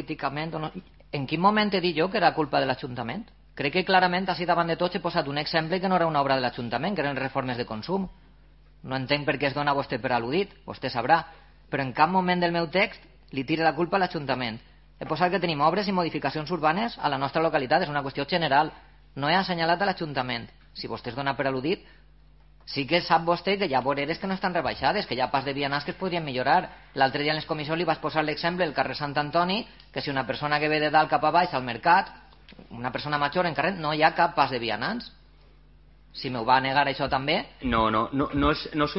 políticament o no. En quin moment he dit jo que era culpa de l'Ajuntament? Crec que clarament, així davant de tots, he posat un exemple que no era una obra de l'Ajuntament, que eren reformes de consum. No entenc per què es dona a vostè per al·ludit, vostè sabrà. Però en cap moment del meu text li tira la culpa a l'Ajuntament. He posat que tenim obres i modificacions urbanes a la nostra localitat, és una qüestió general. No he assenyalat a l'Ajuntament. Si vostè es dona per al·ludit, sí que sap vostè que hi ha voreres que no estan rebaixades, que hi ha pas de vianants que es podrien millorar. L'altre dia en les comissions li vaig posar l'exemple del carrer Sant Antoni, que si una persona que ve de dalt cap a baix al mercat, una persona major en carrer, no hi ha cap pas de vianants. Si m'ho va negar això també... No és